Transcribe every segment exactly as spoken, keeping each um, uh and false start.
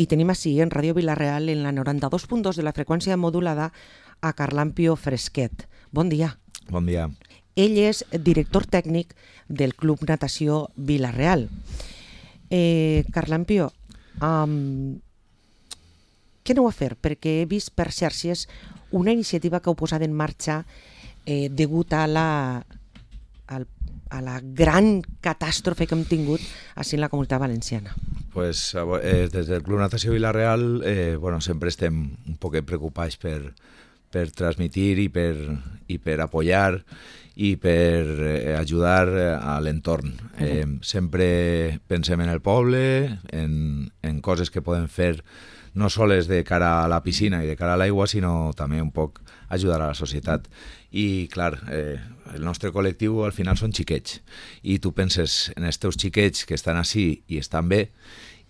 i tenim així en Ràdio Vila-real en la noranta-dos punt dos de la freqüència modulada a Carlampio Fresquet. Bon dia. Bon dia. Ell és director tècnic del Club Natació Vila-real. Eh, Carlampio, um, què aneu a fer? Perquè he vist per xarxes una iniciativa que heu posat en marxa eh, degut a la, al, a la gran catàstrofe que hem tingut així en la Comunitat Valenciana. Pues, eh, des del Club Natació Vila-real eh, bueno, sempre estem un poc preocupats per, per transmitir i per, i per apoyar i per eh, ajudar a l'entorn. Eh, sempre pensem en el poble, en, en coses que podem fer no sols de cara a la piscina i de cara a l'aigua, sinó també un poc ajudar a la societat. I, clar, eh, el nostre col·lectiu al final són xiquets, i tu penses en els teus xiquets que estan així i estan bé,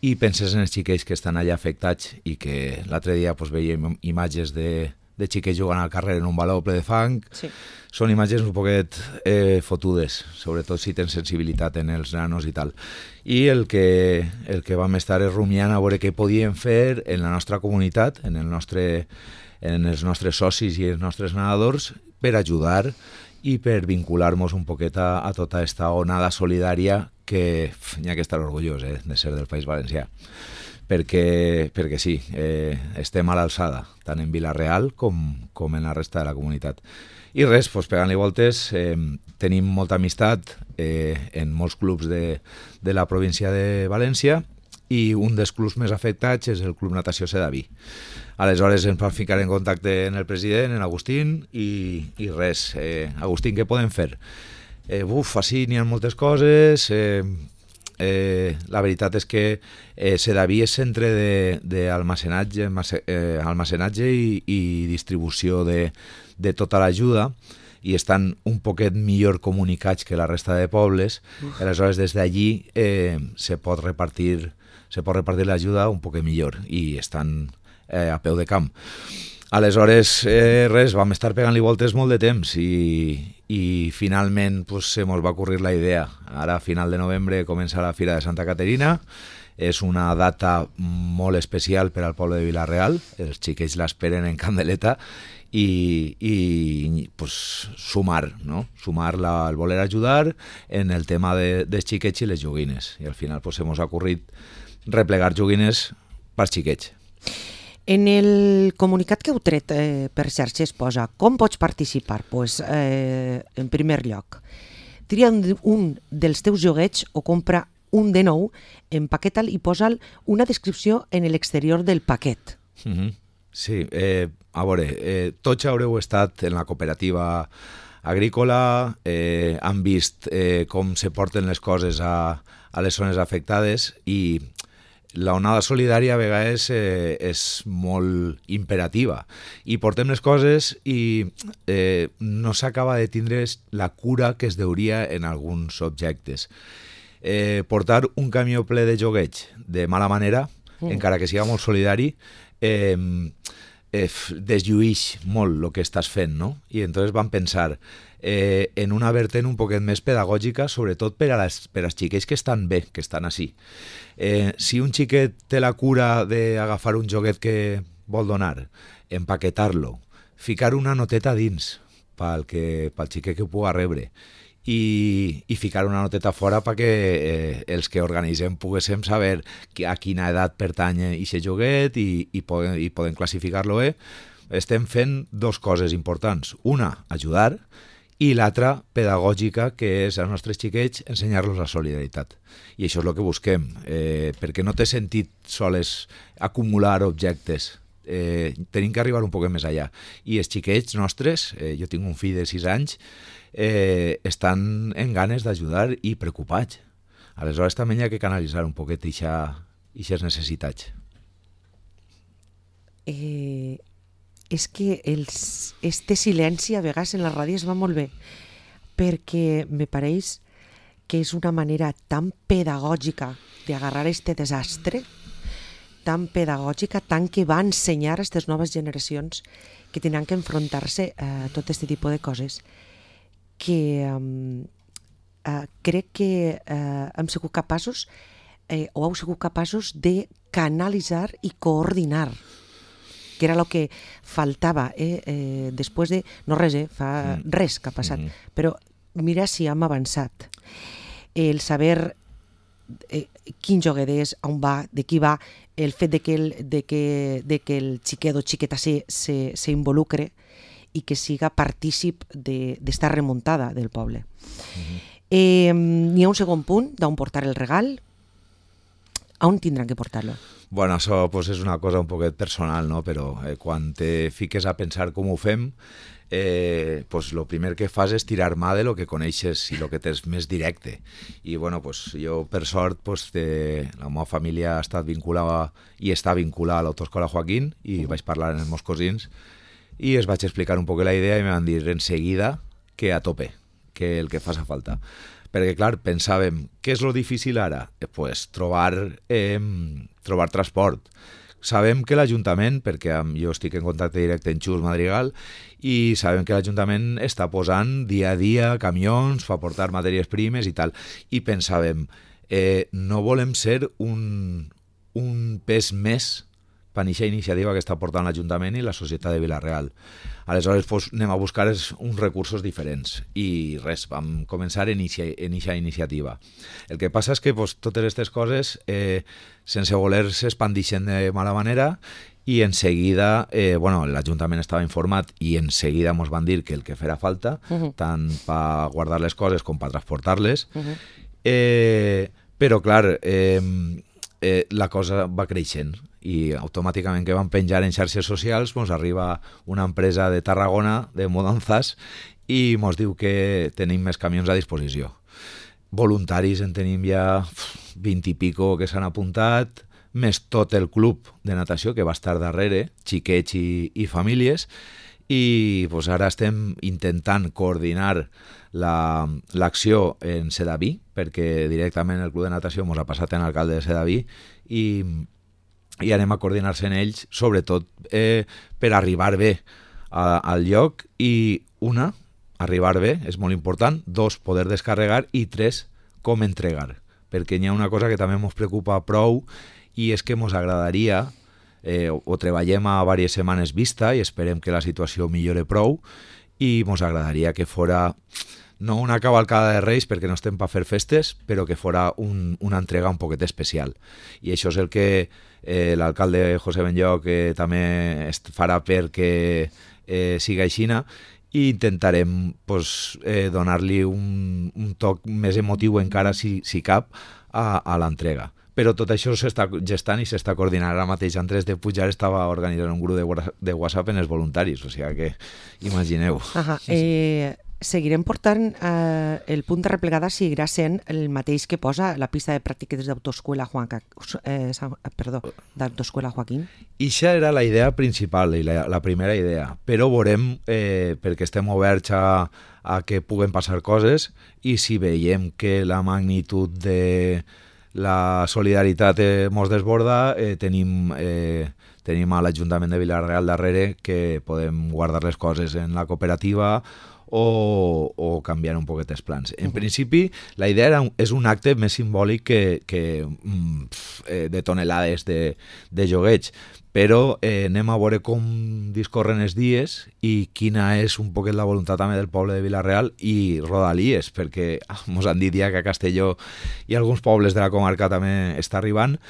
i penses en els xiquets que estan allà afectats i que l'altre dia pues, veiem imatges de, de xiquets jugant al carrer en un baló ple de fang. Sí. Són imatges un poquet eh, fotudes, sobretot si tens sensibilitat en els nanos i tal. I el que, el que vam estar és rumiant a veure què podíem fer en la nostra comunitat, en, el nostre, en els nostres socis i els nostres nedadors, per ajudar i per vincular-nos un poquet a, a tota aquesta onada solidària que n'hi ha que estar orgullós eh, de ser del País Valencià. Perquè, perquè sí, eh, estem a l'alçada, tant en Vila-real com, com en la resta de la comunitat. I res, doncs, pegant-li voltes, eh, tenim molta amistat eh, en molts clubs de, de la província de València, i un dels clubs més afectats és el Club Natació Sedaví. Aleshores ens vam ficar en contacte amb el president, en Agustín, i, i res. Eh, Agustín, què podem fer? Eh, buf, així n'hi ha moltes coses. Eh, eh, la veritat és que eh, Sedaví és centre d'almacenatge eh, almacenatge i, i distribució de, de tota l'ajuda, i estan un poquet millor comunicats que la resta de pobles. Uf. Aleshores, des d'allí eh, se pot repartir se pot repartir l'ajuda un poquet millor i estan eh, a peu de camp. Aleshores, eh, res, vam estar pegant-li voltes molt de temps i, i finalment pues, se mos va ocurrir la idea. Ara, a final de novembre, comença la Fira de Santa Caterina. És una data molt especial per al poble de Vila-real. Els xiquets l'esperen en candeleta i, i pues, sumar, no? Sumar la, el voler ajudar en el tema de, dels xiquets i les joguines. I al final pues, se mos ha ocorrit replegar joguines per xiquets. En el comunicat que heu tret eh, per xarxes posa com pots participar? Pues, eh, en primer lloc, tria un, un dels teus joguets o compra un de nou, empaqueta'l i posa'l una descripció en l'exterior del paquet. Mm-hmm. Sí, eh, a veure, eh, tots haureu estat en la cooperativa agrícola, eh, han vist eh, com se porten les coses a, a les zones afectades, i la onada solidària a vegades eh, és molt imperativa i portem les coses i eh, no s'acaba de tindre la cura que es deuria en alguns objectes. Eh, portar un camió ple de joguets de mala manera, mm. encara que siga molt solidari, eh, eh, deslluïx molt el que estàs fent, no? I entonces vam pensar eh, en una vertent un poquet més pedagògica, sobretot per a les, per als xiquets que estan bé, que estan així. Eh, si un xiquet té la cura d'agafar un joguet que vol donar, empaquetar-lo, ficar una noteta dins pel, que, pel xiquet que ho pugui rebre, i, i ficar una noteta fora perquè eh, els que organitzem poguéssim saber a quina edat pertany aquest joguet i, i, poden, i poden classificar-lo bé. Estem fent dos coses importants. Una, ajudar, i l'altra, pedagògica, que és als nostres xiquets ensenyar-los la solidaritat. I això és el que busquem, eh, perquè no té sentit sols acumular objectes. Eh, tenim que arribar un poc més allà. I els xiquets nostres, eh, jo tinc un fill de sis anys, eh, estan en ganes d'ajudar i preocupats. Aleshores també hi ha que canalitzar un poquet aquestes necessitats. Eh... és que els, este silenci a vegades en la ràdio es va molt bé, perquè me pareix que és una manera tan pedagògica d'agarrar este desastre, tan pedagògica, tant que va ensenyar a aquestes noves generacions que tenen que enfrontar-se a tot aquest tipus de coses, que um, uh, crec que uh, hem sigut capaços eh, o heu sigut capaços de canalitzar i coordinar, que era el que faltava eh, eh, després de... No res, eh, fa Mm. res que ha passat, Mhm. però mira si hem avançat. El saber eh, quin joguet és, on va, de qui va, el fet de que el, de que, de que el xiquet o xiqueta se, se, se involucre i que siga partícip d'esta de, remuntada del poble. Mhm. Eh, N'hi ha un segon punt d'on portar el regal. On tindran que portar-lo? Bueno, això pues, és una cosa un poquet personal, no? Però eh, quan te fiques a pensar com ho fem, eh, pues, lo primer que fas és tirar mà de lo que coneixes i lo que tens més directe. I bueno, pues, jo, per sort, pues, de, la meva família ha estat vinculada i està vinculada a l'Autoescola Joaquín i vaig parlar amb els meus cosins i es vaig explicar un poc la idea i me van dir enseguida que a tope, que el que faci falta. Perquè, clar, pensàvem, què és lo difícil ara? Eh, pues, trobar, eh, trobar transport. Sabem que l'Ajuntament, perquè jo estic en contacte directe amb Xus Madrigal, i sabem que l'Ajuntament està posant dia a dia camions per portar matèries primes i tal. I pensàvem, eh, no volem ser un, un pes més per aquesta iniciativa que està portant l'Ajuntament i la societat de Vila-real. Aleshores, pues, anem a buscar uns recursos diferents i res, vam començar en aquesta iniciativa. El que passa és que pues, totes aquestes coses, eh, sense voler, s'expandixen de mala manera i en seguida, eh, bueno, l'Ajuntament estava informat i en seguida ens van dir que el que farà falta, uh-huh. tant per guardar les coses com per transportar-les, uh-huh. eh, però clar, eh, eh, la cosa va creixent i automàticament que van penjar en xarxes socials ens arriba una empresa de Tarragona de mudanzas i ens diu que tenim més camions a disposició. Voluntaris en tenim ja vint i pico que s'han apuntat, més tot el club de natació que va estar darrere, xiquets i, i famílies, i pues, ara estem intentant coordinar l'acció la, en Sedaví, perquè directament el club de natació ens ha passat en alcalde de Sedaví i i anem a coordinar-se en ells, sobretot eh, per arribar bé a, al lloc i una, arribar bé, és molt important, dos, poder descarregar i tres, com entregar, perquè hi ha una cosa que també ens preocupa prou i és que ens agradaria, eh, o treballem a diverses setmanes vista i esperem que la situació millore prou i ens agradaria que fora no una cavalcada de Reis perquè no estem per fer festes, però que fora un, una entrega un poquet especial. I això és el que eh, l'alcalde José Benlloc eh, també farà perquè eh, siga aixina i intentarem pues, eh, donar-li un, un toc més emotiu encara, si, si cap, a, a l'entrega. Però tot això s'està gestant i s'està coordinant. Ara mateix Andrés de Pujar estava organitzant un grup de, de WhatsApp en els voluntaris, o sigui que imagineu. Ajá, eh... Seguirem portant eh, el punt de replegada seguirà sent el mateix que posa la pista de pràctiques d'autoescola Juan, eh, perdó, d'autoescola Joaquín. Ixa era la idea principal i la, la primera idea, però veurem, eh, perquè estem oberts a, a que puguen passar coses i si veiem que la magnitud de la solidaritat eh, mos desborda, eh, tenim... Eh, tenim a l'Ajuntament de Vila-real darrere que podem guardar les coses en la cooperativa o, o canviar un poquet els plans. En uh-huh. principi, la idea era un, és un acte més simbòlic que, que mm, pf, de tonelades de, de jogueig, però eh, anem a veure com discorren els dies i quina és un poquet la voluntat també del poble de Vila-real i Rodalies, perquè ens han dit ja que a Castelló i alguns pobles de la comarca també està arribant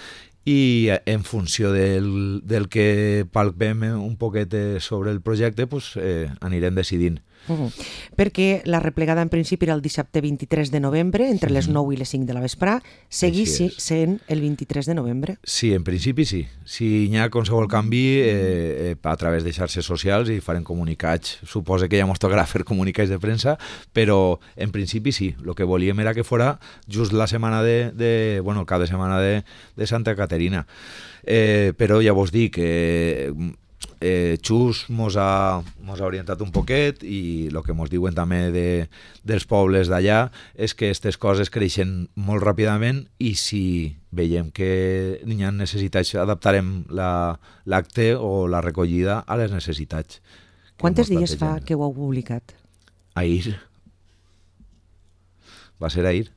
i en funció del, del que palpem un poquet sobre el projecte pues, eh, anirem decidint. Uh-huh. Perquè la replegada en principi era el dissabte vint-i-tres de novembre entre uh-huh. les nou i les cinc de la vesprà, seguís sent el vint-i-tres de novembre? Sí, en principi sí. Si hi ha qualsevol canvi eh, eh, a través de xarxes socials i farem comunicats, suposa que ja ens tocarà fer comunicats de premsa, però en principi sí, el que volíem era que fora just la setmana de, de bueno, el cap de setmana de, de Santa Caterina, eh, però ja vos dic que eh, Eh, Xus mos ha, mos ha orientat un poquet i el que mos diuen també de, dels pobles d'allà és que aquestes coses creixen molt ràpidament i si veiem que hi ha necessitats adaptarem la, l'acte o la recollida a les necessitats. Quantes dies fa que ho heu publicat? Ahir. Va ser ahir.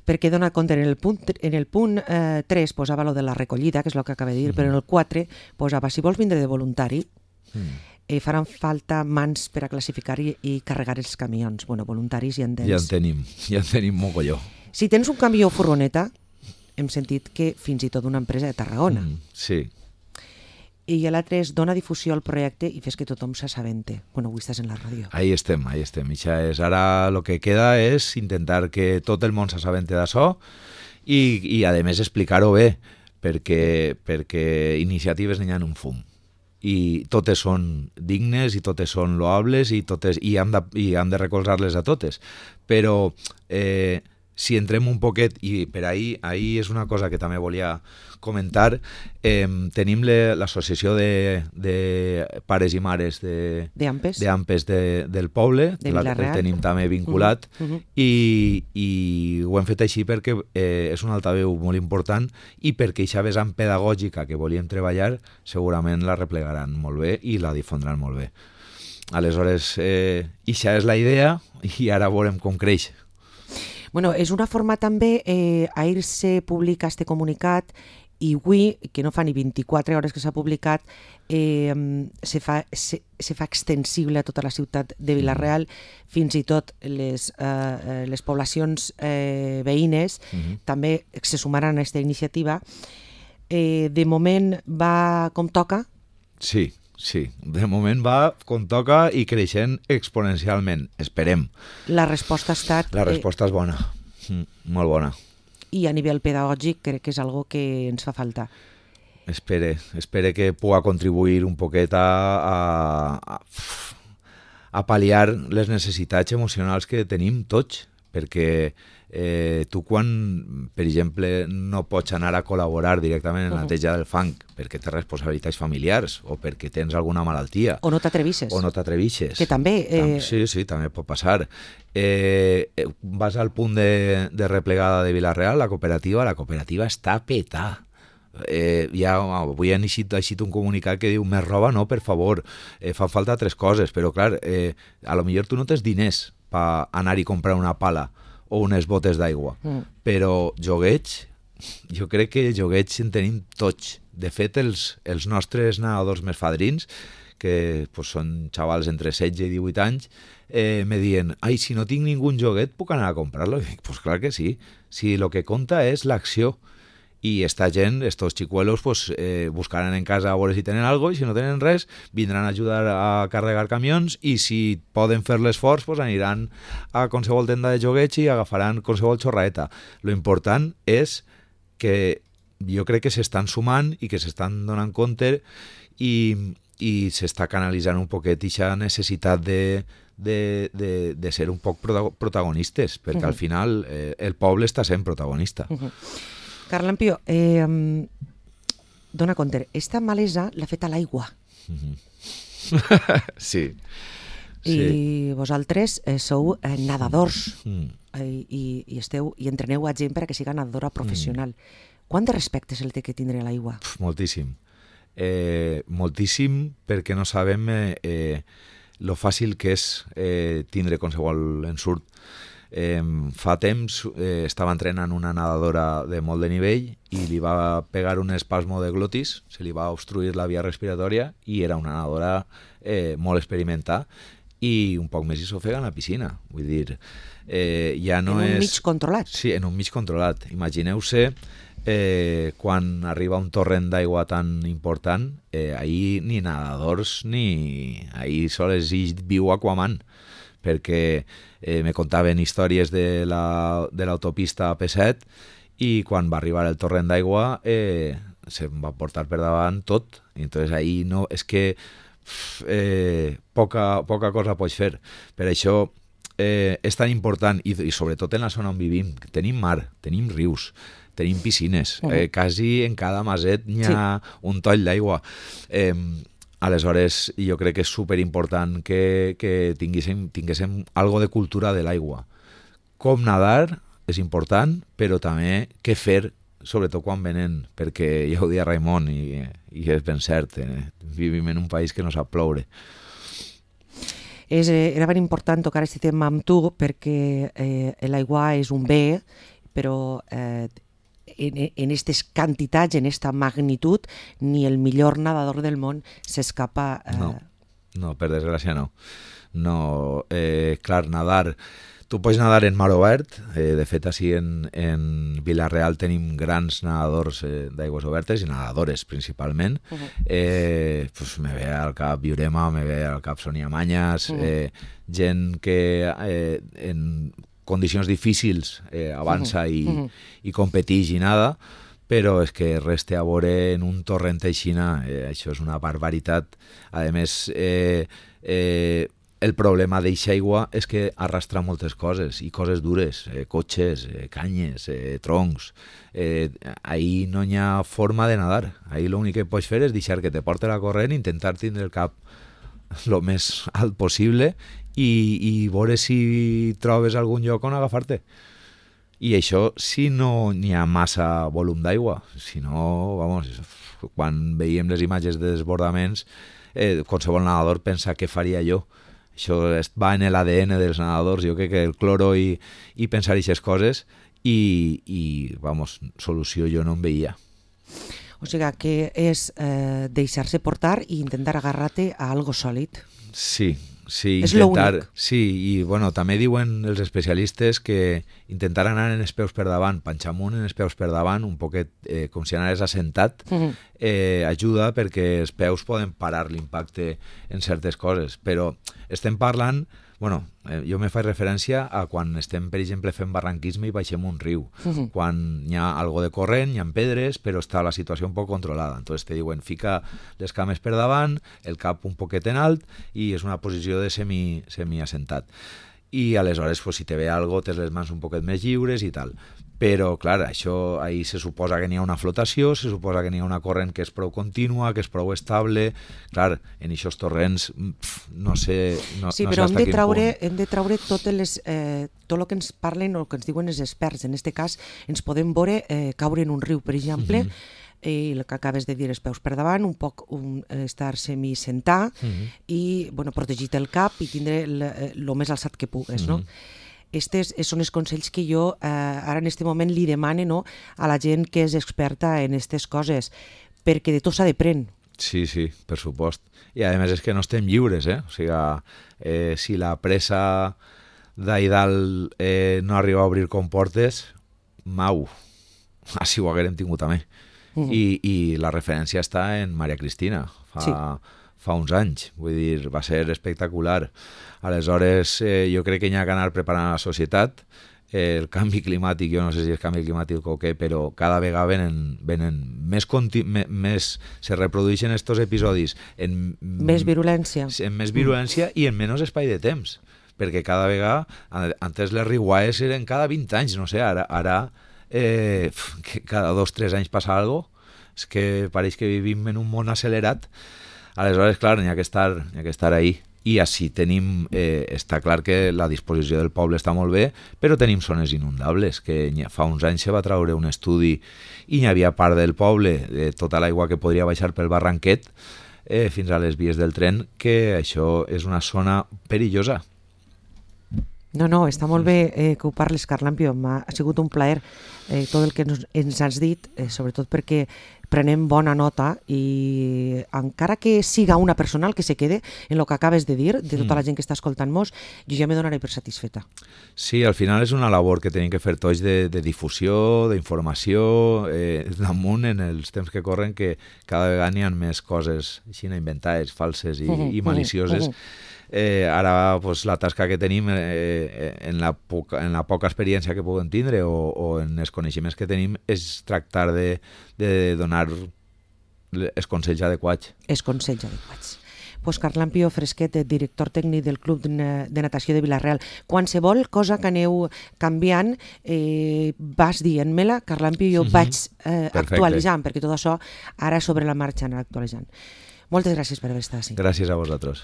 perquè dona compte, en el punt, en el punt eh, tres posava lo de la recollida, que és el que acaba de dir, mm. però en el quatre posava, si vols vindre de voluntari, mm. eh, faran falta mans per a classificar i, i carregar els camions. Bueno, voluntaris ja en tens. Ja en tenim, ja en tenim mogolló. Si tens un camió o furgoneta, hem sentit que fins i tot una empresa de Tarragona. Mm, sí. I l'altre és dona difusió al projecte i fes que tothom s'assabente. Bueno, avui estàs en la ràdio. Ahí estem, ahí estem. Ixa és, ara el que queda és intentar que tot el món s'assabente d'això i, i a més explicar-ho bé, perquè, perquè iniciatives n'hi ha un fum. I totes són dignes i totes són loables i, totes, i, hem, de, i hem de recolzar-les a totes. Però eh, si entrem un poquet, i per ahir, ahir és una cosa que també volia comentar, eh, tenim l'associació de, de pares i mares de, de Ampes, de Ampes de, del poble, de la, el tenim també vinculat, uh -huh, uh -huh. I, i ho hem fet així perquè eh, és un altaveu molt important i perquè aquesta vessant pedagògica que volíem treballar segurament la replegaran molt bé i la difondran molt bé. Aleshores, eh, aquesta és la idea i ara veurem com creix. Bueno, és una forma també, eh, ahir se publica este comunicat i avui, que no fa ni vint-i-quatre hores que s'ha publicat, eh, se, fa, se, se fa extensible a tota la ciutat de Vila-real, fins i tot les, eh, les poblacions eh, veïnes uh-huh. també se sumaran a aquesta iniciativa. Eh, de moment va com toca? Sí, sí. De moment va com toca i creixent exponencialment. Esperem. La resposta ha estat... La resposta eh... és bona, mm, molt bona. I a nivell pedagògic crec que és algo que ens fa falta. Espere, espere que pugui contribuir un poquet a, a, a pal·liar les necessitats emocionals que tenim tots, perquè eh, tu quan, per exemple, no pots anar a col·laborar directament en la neteja del fang perquè tens responsabilitats familiars o perquè tens alguna malaltia. O no t'atrevisses. O no t'atrevisses. Que també... Eh... Sí, sí, també pot passar. Eh, vas al punt de, de replegada de Vila-real, la cooperativa, la cooperativa està petada. Eh, ja avui han eixit, eixit un comunicat que diu més roba no, per favor, eh, fan falta tres coses, però clar, eh, a lo millor tu no tens diners per anar i comprar una pala o unes botes d'aigua, mm. però jogueig, jo crec que jogueig en tenim tots. De fet, els, els nostres nadadors més fadrins, que pues, són xavals entre setze i divuit anys, eh, me diuen, ai, si no tinc ningú joguet, puc anar a comprar-lo? I dic, pues clar que sí. Si lo que compta és l'acció. I esta gent, estos xicuelos, pues, eh, buscaran en casa a veure si tenen algo i si no tenen res, vindran a ajudar a carregar camions i si poden fer l'esforç, pues, aniran a qualsevol tenda de jogueig i agafaran qualsevol xorraeta. Lo important és que jo crec que s'estan sumant i que s'estan donant compte i, i s'està canalitzant un poquet aquesta necessitat de, de, de, de ser un poc protagonistes, perquè uh-huh. al final eh, el poble està sent protagonista. Uh-huh. Carlampio, eh, dona compte, esta malesa l'ha fet a l'aigua. Mm-hmm. sí. I sí. vosaltres eh, sou eh, nadadors mm. eh, i, i, esteu, i entreneu a gent perquè siga nadadora professional. Mm. Quant de respecte és el que tindré a l'aigua? Pff, moltíssim. Eh, moltíssim perquè no sabem eh, eh, lo fàcil que és eh, tindre qualsevol ensurt. Eh, fa temps eh, estava entrenant una nadadora de molt de nivell i li va pegar un espasmo de glotis, se li va obstruir la via respiratòria i era una nadadora eh, molt experimentada i un poc més i s'ofega en la piscina. Vull dir, eh, ja no en un és... mig controlat. Sí, en un mig controlat. Imagineu-se eh, quan arriba un torrent d'aigua tan important, eh, ahir ni nadadors ni... ahir sols hi viu Aquaman, perquè eh, me contaven històries de la, de l'autopista P set i quan va arribar el torrent d'aigua eh, se'm va portar per davant tot. I entonces ahí no, és que eh, poca, poca cosa pots fer. Per això eh, és tan important, i, i sobretot en la zona on vivim, tenim mar, tenim rius, tenim piscines, eh, quasi en cada maset hi ha sí. un toll d'aigua. Eh, Aleshores, jo crec que és superimportant que, que tinguéssim, tinguéssim algo de cultura de l'aigua. Com nadar és important, però també què fer, sobretot quan venen, perquè ja ho dia Raimon, i, i és ben cert, eh? Vivim en un país que no sap ploure. És, era ben important tocar aquest tema amb tu, perquè eh, l'aigua és un bé, però eh, en aquestes quantitats, en aquesta magnitud, ni el millor nedador del món s'escapa. Eh... No, no, per desgràcia no. No, eh, clar, nadar... Tu pots nadar en mar obert, eh, de fet així en, en Vila-real tenim grans nedadors eh, d'aigües obertes i nedadores principalment. Uh-huh. eh, pues me ve al cap Viurema, me ve al cap Sonia Mañas, uh-huh. eh, gent que eh, en condicions difícils eh, avança uh-huh. i, uh-huh. i competix i nada, però és que reste a veure en un torrent aixina, eh, això és una barbaritat. A més, eh, eh, el problema d'eixa aigua és que arrastra moltes coses, i coses dures, eh, cotxes, eh, canyes, eh, troncs. Eh, ahí no hi ha forma de nadar. Ahí l'únic que pots fer és deixar que te porte la corrent, intentar tindre el cap el més alt possible i, i veure si trobes algun lloc on agafar-te. I això si no n'hi ha massa volum d'aigua. Si no, vamos, quan veiem les imatges de desbordaments, eh, qualsevol nedador pensa què faria jo. Això va en l'A D N dels nedadors, jo crec que el cloro i, i pensar aquestes coses i, i, vamos, solució jo no en veia. O sigui que és eh, deixar-se portar i intentar agarrar-te a algo sòlid. Sí, sí, és intentar... Sí, i bueno, també diuen els especialistes que intentar anar en els peus per davant, panxar amunt en els peus per davant, un poquet eh, com si anaves assentat, uh-huh. eh, ajuda perquè els peus poden parar l'impacte en certes coses, però estem parlant, bueno, eh, jo me faig referència a quan estem, per exemple, fent barranquisme i baixem un riu, uh-huh. quan hi ha algo de corrent, hi ha pedres, però està la situació un poc controlada. Entonces te diuen, fica les cames per davant, el cap un poquet en alt, i és una posició de semi, semi-assentat. I aleshores, pues, si te ve algo, tens les mans un poquet més lliures i tal. Però, clar, això, ahí se suposa que n'hi ha una flotació, se suposa que n'hi ha una corrent que és prou contínua, que és prou estable. Clar, en aquests torrents, pf, no sé, no, sí, no però sé hem de, traure, punt. hem de traure totes les, eh, tot el que ens parlen o el que ens diuen els experts. En aquest cas, ens podem veure eh, caure en un riu, per exemple, mm-hmm. i el que acabes de dir, els peus per davant, un poc un, estar semi-sentar mm-hmm. i, bueno, protegir el cap i tindre el més alçat que pugues, mm-hmm. no? Estes són els consells que jo eh, ara en aquest moment li demane, no, a la gent que és experta en aquestes coses, perquè de tot s'ha de prendre. Sí, sí, per supost. I a més és que no estem lliures, eh? O sigui, eh, si la pressa d'ahir dalt eh, no arriba a obrir comportes, mau, així ho haguérem tingut també. Mm. I, I la referència està en Maria Cristina, fa... Sí. fa uns anys, vull dir, va ser espectacular. Aleshores, eh, jo crec que hi ha que anar preparant la societat. Eh, el canvi climàtic, jo no sé si és canvi climàtic o què, però cada vegada venen, venen més, conti- me, més, se reprodueixen estos episodis en més virulència, en més virulència mm. i en menys espai de temps, perquè cada vegada, antes les riuades eren cada vint anys, no sé, ara, ara eh, que cada dos o tres anys passa alguna cosa, és que pareix que vivim en un món accelerat. Aleshores, clar, n'hi ha que estar, n'hi ha que estar ahí. I així tenim, eh, està clar que la disposició del poble està molt bé, però tenim zones inundables, que fa uns anys se va treure un estudi i n'hi havia part del poble, de tota l'aigua que podria baixar pel barranquet eh, fins a les vies del tren, que això és una zona perillosa. No, no, està molt bé eh, que ho parles, Carlampio. M'ha sigut un plaer eh, tot el que ens, ens has dit, eh, sobretot perquè prenem bona nota i encara que siga una persona el que se quede en el que acabes de dir, de tota la gent que està escoltant-nos, jo ja me donaré per satisfeta. Sí, al final és una labor que tenim que fer tots de, de difusió, d'informació, eh, damunt en els temps que corren, que cada vegada n'hi ha més coses així inventades, falses i, uh-huh, i malicioses. Uh-huh. Eh, ara pues, la tasca que tenim eh, en, la poca, en la poca experiència que podem tindre o, o en els coneixements que tenim és tractar de, de donar els consells adequats. Els consells adequats. Pues Carlampio Fresquet, director tècnic del Club de Natació de Vila-real. Qualsevol cosa que aneu canviant, eh, vas dient-me-la, Carlampio, jo uh-huh. vaig eh, actualitzant, perquè tot això ara sobre la marxa anar actualitzant. Moltes gràcies per haver estat així. Gràcies a vosaltres.